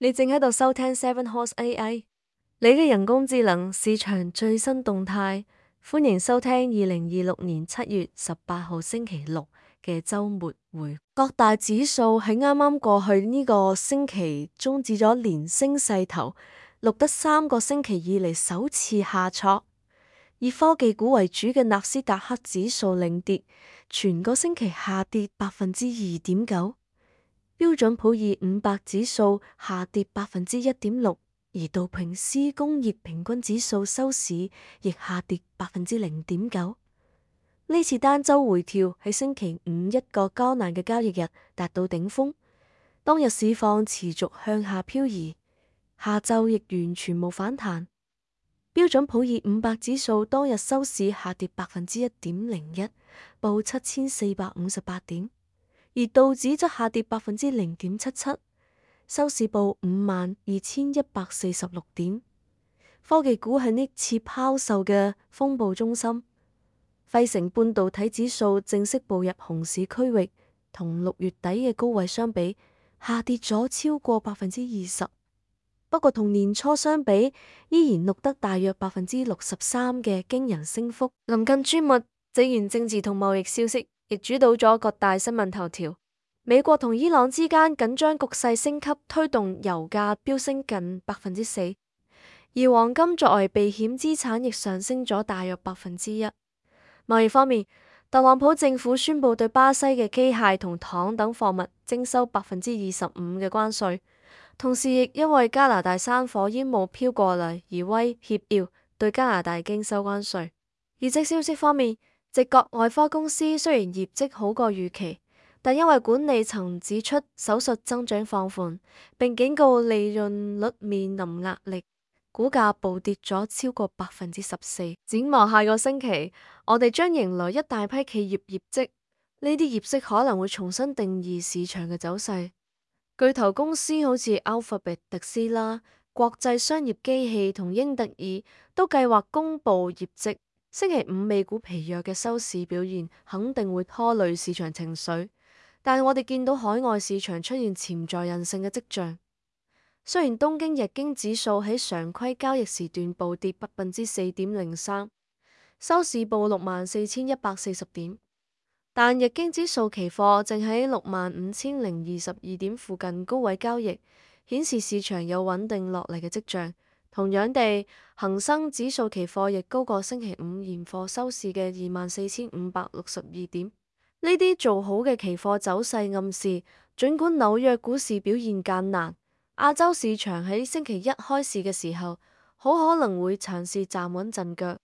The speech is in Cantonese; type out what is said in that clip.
你正喺度收聽 Seven Horse AI，你嘅人工智能市場最新動態。歡迎收聽2026年7月18號星期六嘅週末會。各大指數喺啱啱過去呢個星期終止咗連升勢頭，錄得3個星期以嚟首次下挫。以科技股為主嘅納斯達克指數領跌，全個星期下跌2.9%。標準普爾500指數下跌1.6%，而道瓊斯工業平均指數收市亦下跌0.9%。呢次單周回調喺星期五一個艱難嘅交易日達到頂峰，當日市況持續向下漂移，下晝亦完全冇反彈。標準普爾500指數當日收市下跌1.01%，報7458點。而道指則下跌0.77%，收市報52,146點。科技股係呢次拋售嘅風暴中心。費城半導體指數正式步入熊市區域，同6月底嘅高位相比，下跌咗超過20%。不過同年初相比，依然錄得大約63%嘅驚人升幅。臨近週末，地緣政治同貿易消息亦主導咗各大新聞頭條。美國同伊朗之間緊張局勢升級，推動油價飆升近4%，而黃金作為避險資產亦上升咗大約1%。貿易方面，特朗普政府宣布對巴西嘅機械同糖等貨物徵收25%嘅關稅，同時亦因為加拿大山火煙霧飄過嚟而威脅要對加拿大徵收關稅。業績消息方面，直覺外科公司雖然業績好過預期，但因為管理層指出手術增長放緩，並警告利潤率面臨壓力，股價暴跌咗超過14%。展望下個星期，我哋將迎來一大批企業業績，呢啲業績可能會重新定義市場嘅走勢。巨頭公司好似 Alphabet、特斯拉、國際商業機器同英特爾都計劃公布業績。星期五美股疲弱嘅收市表現肯定會拖累市場情緒，但我哋見到海外市場出現潛在韌性嘅跡象。雖然東京日經指數喺常規交易時段暴跌4.03%，收市報64,140點，但日經指數期貨正喺65,022點附近高位交易，顯示市場有穩定落嚟嘅跡象。同樣地，恒生指數期貨亦高過星期五現貨收市嘅24,562點。呢啲做好嘅期貨走勢暗示，儘管紐約股市表現艱難，亞洲市場喺星期一開市嘅時候，好可能會嘗試站穩陣腳。